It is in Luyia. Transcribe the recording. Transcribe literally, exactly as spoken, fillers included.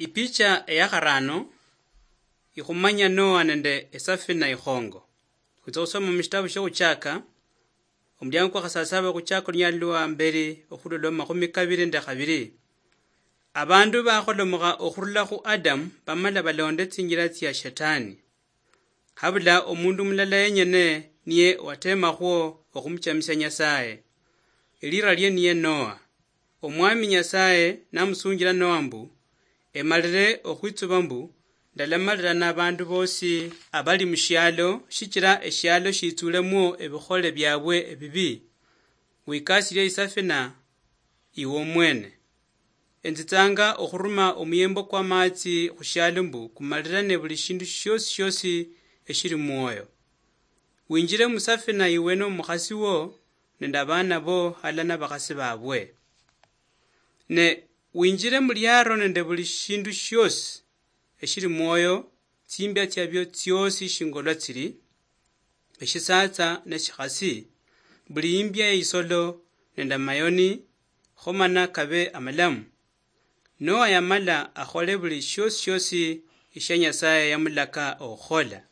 Ipicha eya kharano ikhumanya Noa nende esafina ikhongo. Khwitsa khusoma mushitabu shioKhuchaka, omuliango kwa khasasaba, Khuchaka olunyali lwa mberi okhulolwa mumakhumi kabiri nende khabiri. Abandu bakholomokha okhurula khu Adamu bamala balonde tsinjila tsia Shetani. Habula omundu mulala yenyene niye watemakhwo okhumuchamisia Nyasaye. Elira lie niye Noa. Omwami Nyasaye namusunjila Noa mbu, emalire okhwitsuba mbu, ndalamalira nabandu bosi abali mushialo, shichira eshialo shitsulemwo ebikhole biabwe ebibi. Wikasilie isafina iwe omwene. Enzitsanga okhuruma omuyembo kwa maatsi khushialo mbu kumalirane buli shindu shiosi shiosi eshili mwoyo. Winjire musafina iwe nomukhasi wo nende abana bo halala nabakhasi babwe. Ne winjire muliaro nende buli shindu shiosi eshili mwoyo, tsimbia tsiabio tsiosi shingolwa tsili, eshisatsa neshikhasi, buli imbia eisolo nende amayoni, kho mana kabe amalamu. Noa yamala akhole buli shiosi shiosi eshia Nyasaye yamulaka okhukhola.